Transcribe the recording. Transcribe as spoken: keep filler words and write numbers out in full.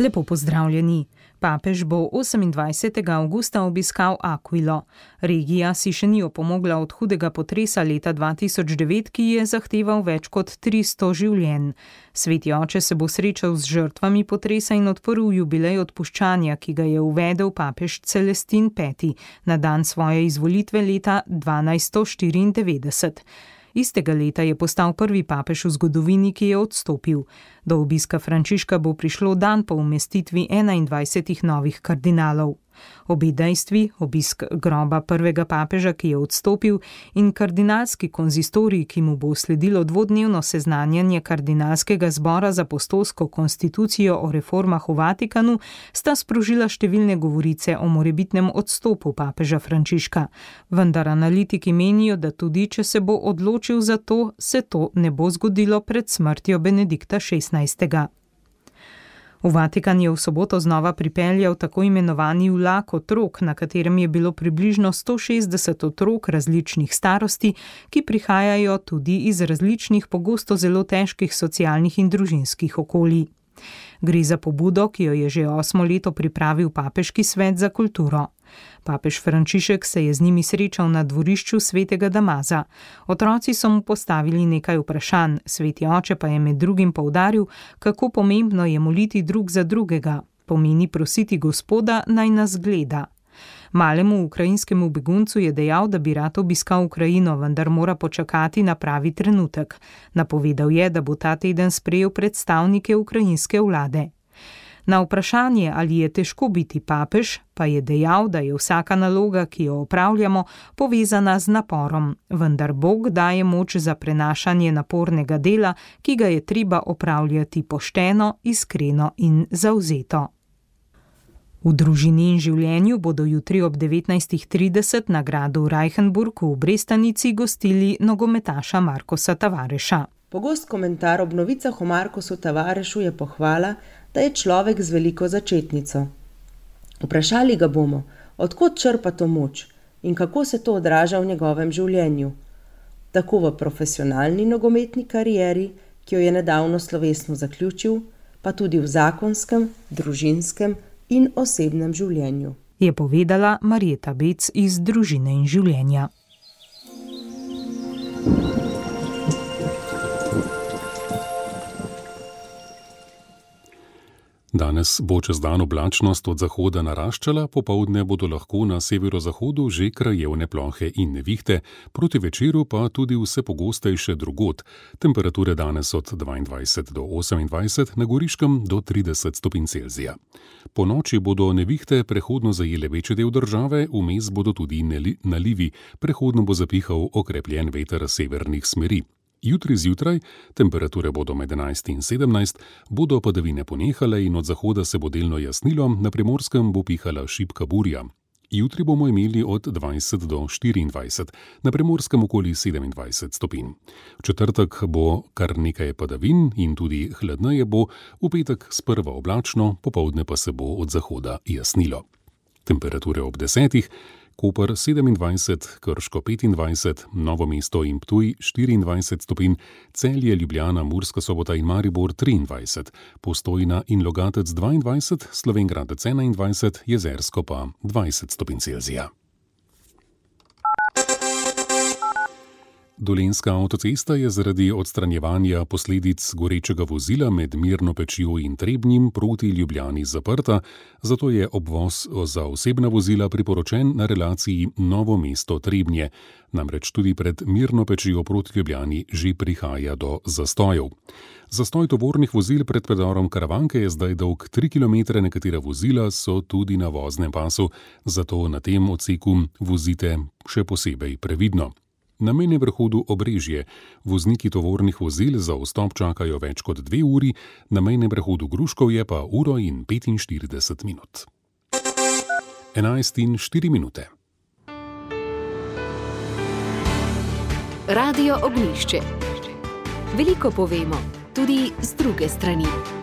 Lepo pozdravljeni. Papež bo osemindvajsetega avgusta obiskal Aquilo. Regija si še ni opomogla od hudega potresa leta dva tisoč devet, ki je zahteval več kot tristo življenj. Sveti oče se bo srečal z žrtvami potresa in odprl jubilej odpuščanja, ki ga je uvedel papež Celestin peti na dan svoje izvolitve leta dvanajststo štiriindevetdeset. Istega leta je postal prvi papež v zgodovini, ki je odstopil. Do obiska Frančiška bo prišlo dan po umestitvi enaindvajsetih novih kardinalov. Obe dejstvi, obisk groba prvega papeža, ki je odstopil, in kardinalski konzistorij, ki mu bo sledilo dvodnevno seznanjanje kardinalskega zbora z apostolsko konstitucijo o reformah v Vatikanu, sta sprožila številne govorice o morebitnem odstopu papeža Frančiška. Vendar analitiki menijo, da tudi če se bo odločil za to, se to ne bo zgodilo pred smrtjo Benedikta šestnajstega. V Vatikan je v soboto znova pripeljal tako imenovani vlak otrok, na katerem je bilo približno sto šestdeset otrok različnih starosti, ki prihajajo tudi iz različnih, pogosto zelo težkih socialnih in družinskih okolij. Gre za pobudo, ki jo je že osmo leto pripravil Papeški svet za kulturo. Papež Frančišek se je z njimi srečal na dvorišču svetega Damaza. Otroci so mu postavili nekaj vprašanj, sveti oče pa je med drugim poudaril, kako pomembno je moliti drug za drugega, pomeni prositi Gospoda, naj nas gleda. Malemu ukrajinskemu beguncu je dejal, da bi rad obiskal Ukrajino, vendar mora počakati na pravi trenutek. Napovedal je, da bo ta teden sprejel predstavnike ukrajinske vlade. Na vprašanje, ali je težko biti papež, pa je dejal, da je vsaka naloga, ki jo opravljamo, povezana z naporom, vendar Bog daje moč za prenašanje napornega dela, ki ga je treba opravljati pošteno, iskreno in zavzeto. V družini in življenju bodo jutri ob devetnajstih trideset na gradu Reichenburg v Brestanici gostili nogometaša Markosa Tavareša. Pogost komentar ob novicah o Markosu Tavarešu je pohvala, da je človek z veliko začetnico. Vprašali ga bomo, od kod črpa to moč in kako se to odraža v njegovem življenju. Tako v profesionalni nogometni karieri, ki jo je nedavno slovesno zaključil, pa tudi v zakonskem, družinskem in osebnem življenju, je povedala Marjeta Bec iz Družine in življenja. Danes bo čez dan oblačnost od zahoda naraščala, popoldne bodo lahko na severozahodu že krajevne plohe in nevihte, proti večeru pa tudi vse pogostejše drugod. Temperature danes od dvaindvajset do osemindvajset, na Goriškem do trideset stopinj Celzija. Po noči bodo nevihte prehodno zajele večji del države, vmes bodo tudi nalivi, prehodno bo zapihal okrepljen veter severnih smeri. Jutri zjutraj, temperature bodo med enajst in sedemnajst, bodo padavine ponehale in od zahoda se bo delno jasnilo, na Primorskem bo pihala šibka burja. Jutri bomo imeli od dvajset do štiriindvajset, na Primorskem okoli sedemindvajset stopinj. V četrtek bo kar nekaj padavin in tudi hladneje bo, v petek sprva oblačno, popoldne pa se bo od zahoda jasnilo. Temperature ob desetih, Koper sedemindvajset, Krško petindvajset, Novo mesto in Ptuj štiriindvajset stopinj, Celje, Ljubljana, Murska Sobota in Maribor triindvajset, Postojna in Logatec dvaindvajset, Slovenj Gradec enaindvajset, Jezersko pa dvajset stopinj Celzija. Dolenjska avtocesta je zaradi odstranjevanja posledic gorečega vozila med Mirno Pečjo in Trebnjem proti Ljubljani zaprta, zato je obvoz za osebna vozila priporočen na relaciji Novo mesto-Trebnje. Namreč tudi pred Mirno Pečjo proti Ljubljani že prihaja do zastojev. Zastoj tovornih vozil pred predorom Karavanke je zdaj dolg tri kilometre, nekatera vozila so tudi na voznem pasu, zato na tem odseku vozite še posebej previdno. Na mejnem prehodu Obrežje vozniki tovornih vozil za vstop čakajo več kot dve uri, na mejnem prehodu Gruškovje pa uro in petinštirideset minut. enajst in štiri minute. Radio Ognjišče. Veliko povemo, tudi z druge strani.